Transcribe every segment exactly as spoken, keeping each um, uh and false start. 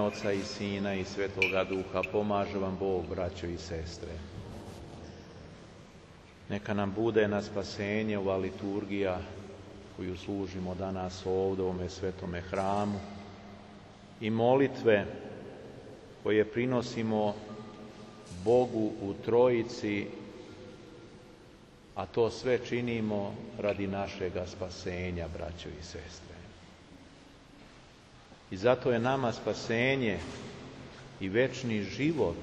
Oca i Sina i Svetoga Duha. Pomaže vam Bog, braćo i sestre. Neka nam bude na spasenje ova liturgija koju služimo danas ovdje u ovome svetome hramu i molitve koje prinosimo Bogu u Trojici, a to sve činimo radi našega spasenja, braćo i sestre. I zato je nama spasenje i večni život,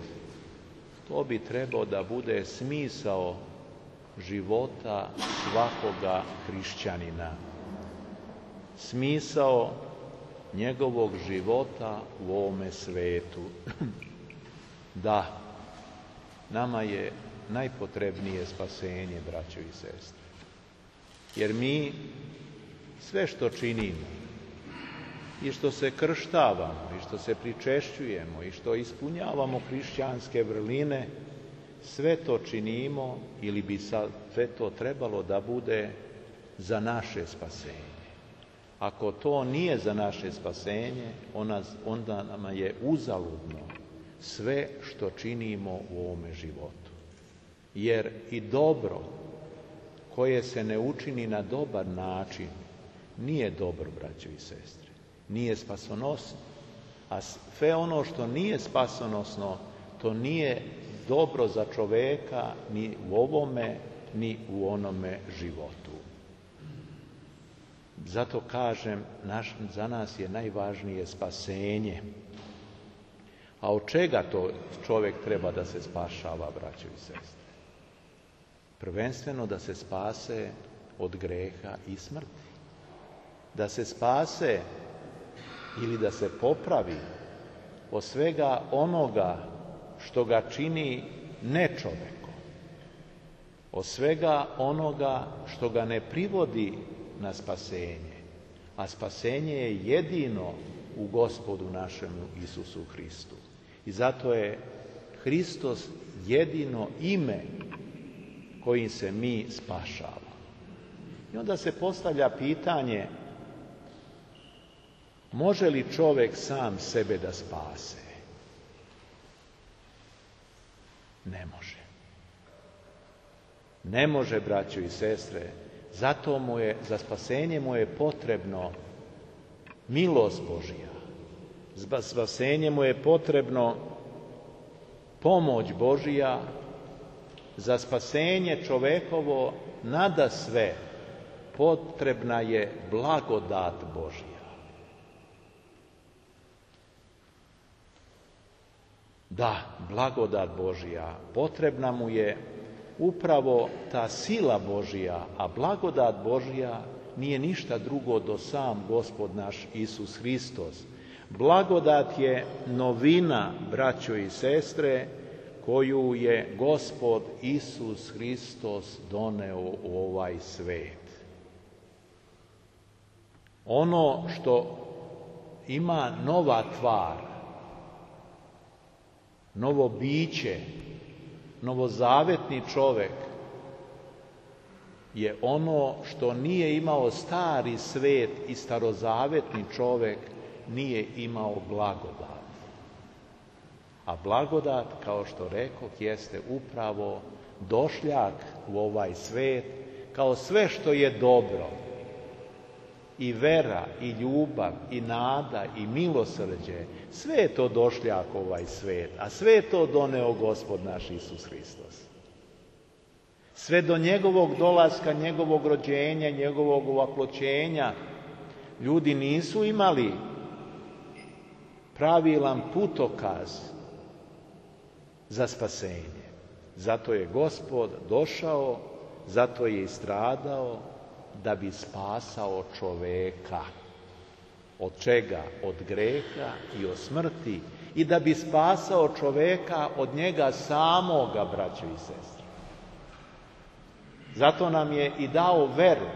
to bi trebao da bude smisao života svakoga hrišćanina. Smisao njegovog života u ovome svetu. Da, nama je najpotrebnije spasenje, braćo i sestre. Jer mi sve što činimo, i što se krštavamo, i što se pričešćujemo, i što ispunjavamo hrišćanske vrline, sve to činimo ili bi sve to trebalo da bude za naše spasenje. Ako to nije za naše spasenje, onda nama je uzaludno sve što činimo u ovome životu. Jer i dobro koje se ne učini na dobar način nije dobro, braćo i sestre. Nije spasonosno. A sve ono što nije spasonosno, to nije dobro za čoveka ni u ovome, ni u onome životu. Zato kažem, naš, za nas je najvažnije spasenje. A od čega to čovjek treba da se spašava, braćo i sestre? Prvenstveno da se spase od greha i smrti. Da se spase ili da se popravi od svega onoga što ga čini nečovekom, od svega onoga što ga ne privodi na spasenje, a spasenje je jedino u Gospodu našemu Isusu Hristu. I zato je Hristos jedino ime kojim se mi spašavamo. I onda se postavlja pitanje, može li čovjek sam sebe da spase? Ne može. Ne može, braćo i sestre. Zato mu je, za spasenje mu je potrebno milost Božja. Za spasenje mu je potrebno pomoć Božja. Za spasenje čovekovo nadasve potrebna je blagodat Božja. Da, blagodat Božja. Potrebna mu je upravo ta sila Božja, a blagodat Božja nije ništa drugo do sam Gospod naš Isus Hristos. Blagodat je novina, braćo i sestre, koju je Gospod Isus Hristos doneo u ovaj svet. Ono što ima nova tvar, novo biće, novozavetni čovjek je ono što nije imao stari svet i starozavetni čovjek nije imao blagodat. A blagodat, kao što rekoh, jeste upravo došljak u ovaj svet, kao sve što je dobro. I vera, i ljubav, i nada, i milosrđe, sve je to došljak u ovaj svet, a sve je to doneo Gospod naš Isus Hristos. Sve do njegovog dolaska, njegovog rođenja, njegovog ovaploćenja, ljudi nisu imali pravilan putokaz za spasenje. Zato je Gospod došao, zato je i stradao, da bi spasao čoveka. Od čega? Od greha i od smrti. I da bi spasao čoveka od njega samoga, braćo i sestre. Zato nam je i dao veru.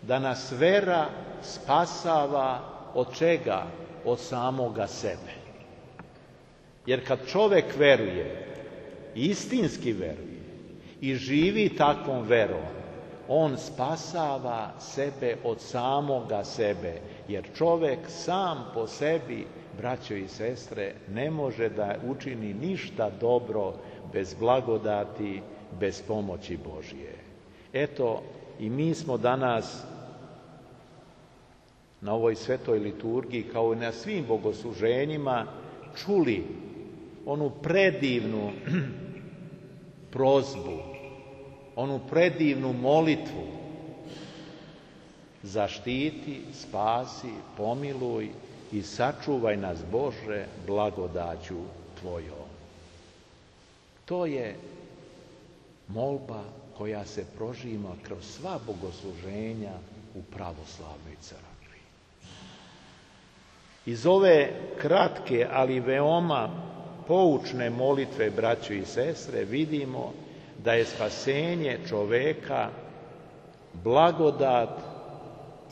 Da nas vera spasava od čega? Od samoga sebe. Jer kad čovek veruje, istinski veruje i živi takvom verom, on spasava sebe od samoga sebe, jer čovjek sam po sebi braćo i sestre, ne može da učini ništa dobro bez blagodati, bez pomoći Božje. Eto, i mi smo danas na ovoj svetoj liturgiji, kao i na svim bogosluženjima, čuli onu predivnu prozbu, onu predivnu molitvu: zaštiti, spasi, pomiluj i sačuvaj nas, Bože, blagodaću Tvojom. To je molba koja se prožima kroz sva bogosluženja u pravoslavnoj crkvi. Iz ove kratke, ali veoma poučne molitve, braćo i sestre, vidimo da je spasenje čoveka blagodat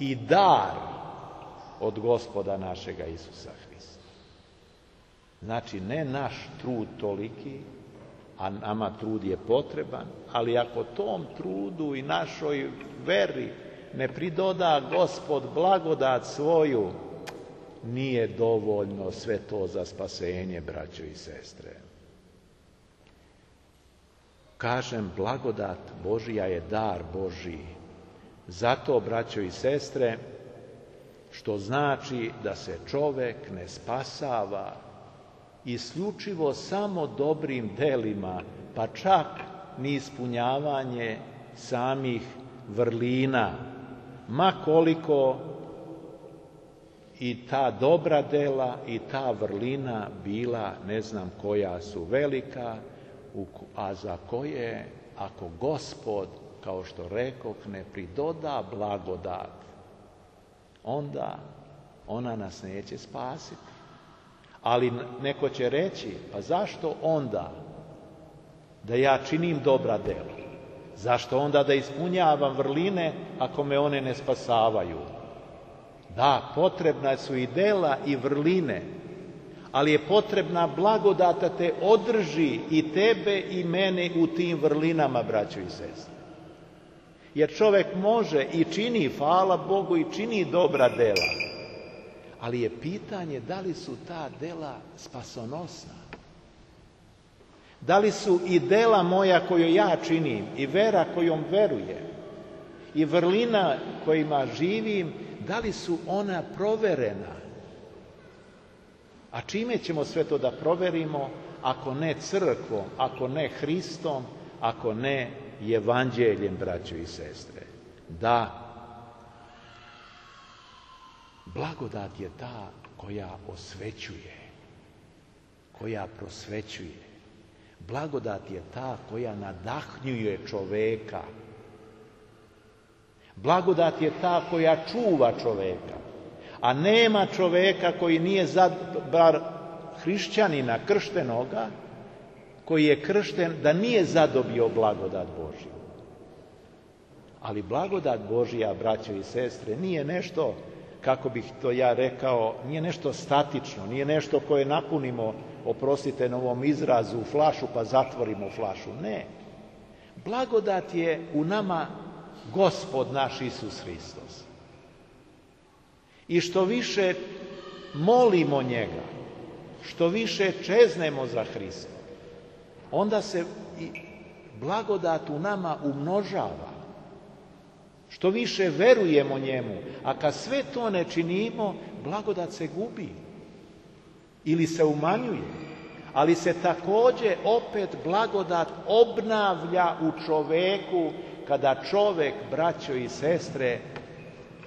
i dar od Gospoda našega Isusa Hrista. Znači, ne naš trud toliki, a nama trud je potreban, ali ako tom trudu i našoj veri ne pridoda Gospod blagodat svoju, nije dovoljno sve to za spasenje, braćo i sestre. Kažem, blagodat Božija je dar Božiji. Zato, braćo i sestre, što znači da se čovek ne spasava isključivo samo dobrim delima, pa čak ni ispunjavanje samih vrlina, ma koliko i ta dobra dela i ta vrlina bila ne znam koja su velika, a za koje, ako Gospod, kao što rekoh, ne pridoda blagodat, onda ona nas neće spasiti. Ali neko će reći, pa zašto onda da ja činim dobra dela? Zašto onda da ispunjavam vrline ako me one ne spasavaju? Da, potrebna su i dela i vrline, ali je potrebna blagodat da te održi i tebe i mene u tim vrlinama, braćo i sestre. Jer čovek može i čini, hvala Bogu, i čini dobra dela, ali je pitanje da li su ta dela spasonosna. Da li su i dela moja koju ja činim, i vera kojom verujem, i vrlina kojima živim, da li su ona proverena? A čime ćemo sve to da proverimo, ako ne crkvom, ako ne Hristom, ako ne evanđeljem, braćo i sestre? Da, blagodat je ta koja osvećuje, koja prosvećuje. Blagodat je ta koja nadahnjuje čoveka. Blagodat je ta koja čuva čoveka. A nema čoveka koji nije, zad, bar hrišćanina krštenoga, koji je kršten, da nije zadobio blagodat Božju. Ali blagodat Božja, braćo i sestre, nije nešto, kako bih to ja rekao, nije nešto statično, nije nešto koje napunimo, oprostite na ovom izrazu, u flašu pa zatvorimo flašu. Ne. Blagodat je u nama Gospod naš Isus Hristos. I što više molimo njega, što više čeznemo za Hrista, onda se i blagodat u nama umnožava. Što više verujemo njemu, a kad sve to ne činimo, blagodat se gubi ili se umanjuje. Ali se također opet blagodat obnavlja u čoveku kada čovek, braćo i sestre,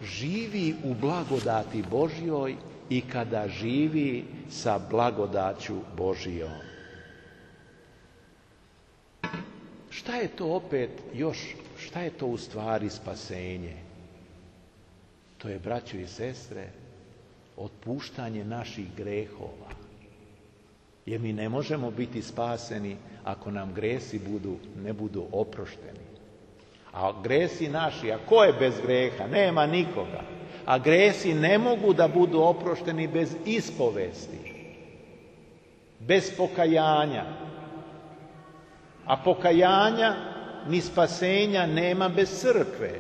živi u blagodati Božjoj i kada živi sa blagodaću Božjom. Šta je to opet još, šta je to u stvari spasenje? To je, braćo i sestre, otpuštanje naših grehova. Jer mi ne možemo biti spaseni ako nam gresi budu, ne budu oprošteni. A gresi naši, a ko je bez greha? Nema nikoga. A gresi ne mogu da budu oprošteni bez ispovesti, bez pokajanja. A pokajanja ni spasenja nema bez crkve,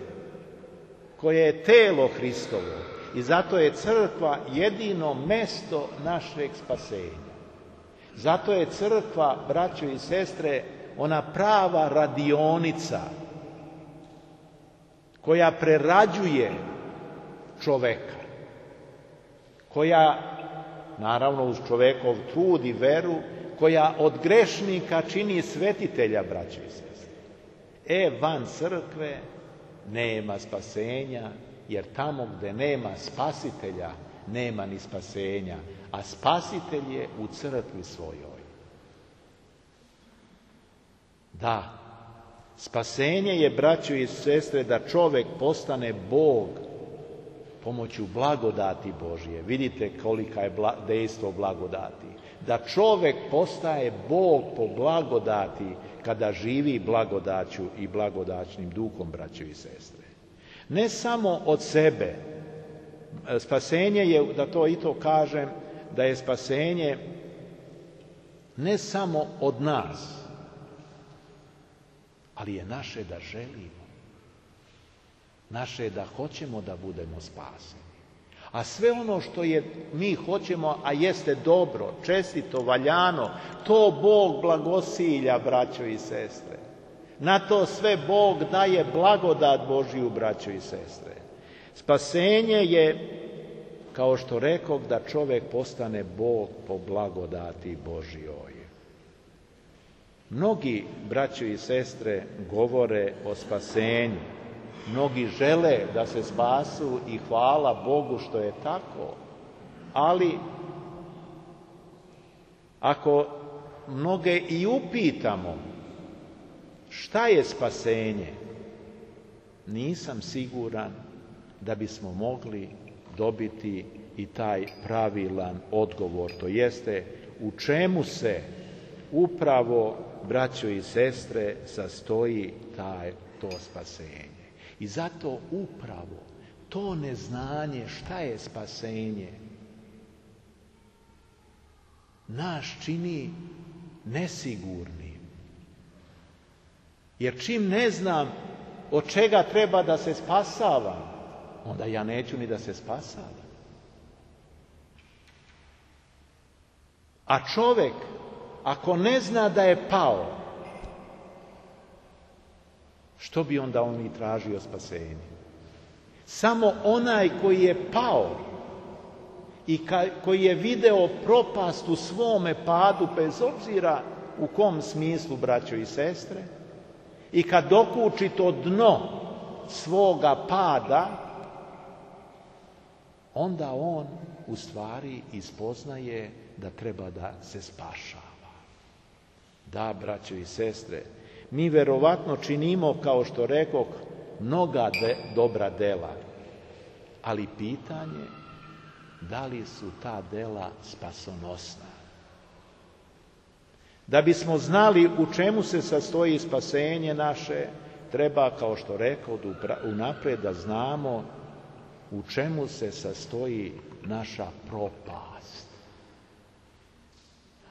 koje je telo Hristovo. I zato je crkva jedino mesto našeg spasenja. Zato je crkva, braćo i sestre, ona prava radionica koja prerađuje čoveka, koja, naravno uz čovekov trud i veru, koja od grešnika čini svetitelja, braćo i sestre. E, van crkve nema spasenja, jer tamo gde nema spasitelja, nema ni spasenja, a spasitelj je u crkvi svojoj. Da, spasenje je, braćo i sestre, da čovek postane Bog pomoću blagodati Božije. Vidite kolika je bla, dejstvo blagodati. Da čovek postaje Bog po blagodati kada živi blagodaću i blagodaćnim duhom, braćo i sestre. Ne samo od sebe. Spasenje je, da to i to kažem, da je spasenje ne samo od nas, ali je naše da želimo. Naše je da hoćemo da budemo spaseni. A sve ono što je mi hoćemo, a jeste dobro, čestito, valjano, to Bog blagosilja, braćo i sestre. Na to sve Bog daje blagodat Božiju, braćo i sestre. Spasenje je, kao što rekoh, da čovjek postane Bog po blagodati Božjoj. Mnogi, braćo i sestre, govore o spasenju. Mnogi žele da se spasu i hvala Bogu što je tako. Ali, ako mnoge i upitamo šta je spasenje, nisam siguran da bismo mogli dobiti i taj pravilan odgovor. To jeste, u čemu se upravo, braćo i sestre, sastoji taj, to spasenje. I zato upravo to neznanje šta je spasenje nas čini nesigurnim. Jer čim ne znam od čega treba da se spasavam, onda ja neću ni da se spasavam. A čovjek, ako ne zna da je pao, što bi onda on i tražio spasenje? Samo onaj koji je pao i ka, koji je video propast u svome padu, bez obzira u kom smislu, braćo i sestre, i kad dokuči to dno svoga pada, onda on u stvari ispoznaje da treba da se spašava. Da, braćo i sestre, mi verovatno činimo, kao što rekoh, mnoga de, dobra dela, ali pitanje da li su ta dela spasonosna. Da bismo znali u čemu se sastoji spasenje naše, treba, kao što rekoh, unapred da znamo u čemu se sastoji naša propast.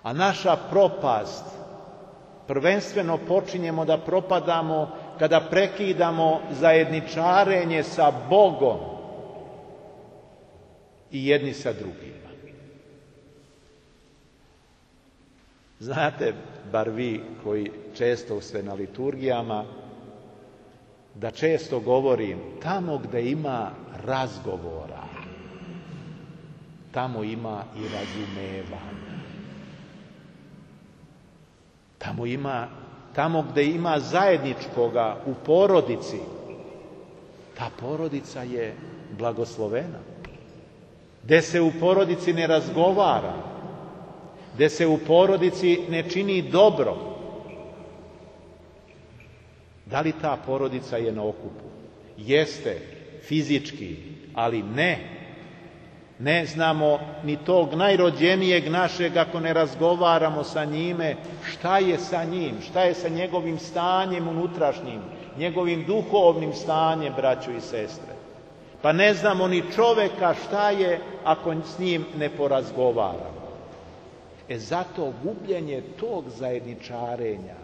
A naša propast prvenstveno počinjemo da propadamo kada prekidamo zajedničarenje sa Bogom i jedni sa drugima. Znate, bar vi koji često ste na liturgijama, da često govorim, tamo gde ima razgovora, tamo ima i razumevanja. Tamo ima, tamo gde ima zajedničkoga u porodici, ta porodica je blagoslovena. Gde se u porodici ne razgovara, gde se u porodici ne čini dobro, da li ta porodica je na okupu? Jeste, fizički, ali ne. Ne znamo ni tog najrođenijeg našeg ako ne razgovaramo sa njime šta je sa njim, šta je sa njegovim stanjem unutrašnjim, njegovim duhovnim stanjem, braćo i sestre. Pa ne znamo ni čoveka šta je ako s njim ne porazgovaramo. E zato gubljenje tog zajedničarenja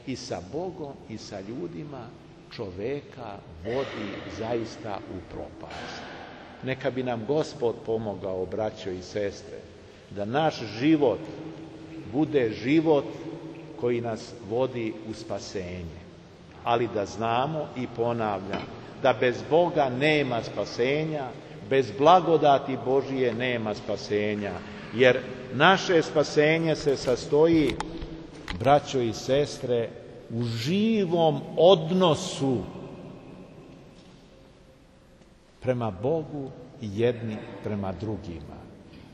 i sa Bogom i sa ljudima čoveka vodi zaista u propast. neka bi nam Gospod pomogao, braćo i sestre, da naš život bude život koji nas vodi u spasenje. Ali da znamo, i ponavljam, da bez Boga nema spasenja, bez blagodati Božije nema spasenja, jer naše spasenje se sastoji, braćo i sestre, u živom odnosu prema Bogu i jedni prema drugima.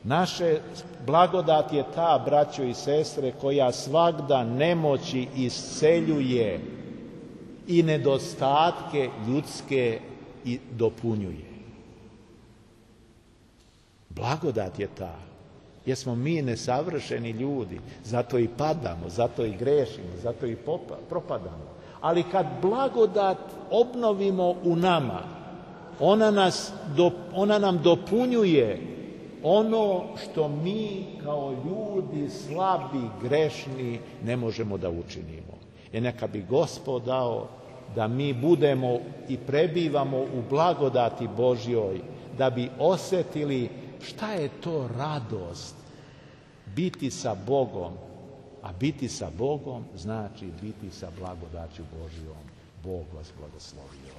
Naše blagodat je ta, braćo i sestre, koja svagda nemoći isceljuje i nedostatke ljudske i dopunjuje. Blagodat je ta, jer smo mi nesavršeni ljudi, zato i padamo, zato i grešimo, zato i propadamo. Ali kad blagodat obnovimo u nama, ona, nas, ona nam dopunjuje ono što mi kao ljudi slabi, grešni ne možemo da učinimo. I neka bi Gospod dao da mi budemo i prebivamo u blagodati Božjoj, da bi osjetili šta je to radost biti sa Bogom, a biti sa Bogom znači biti sa blagodaću Božjom. Bog vas blagoslovio.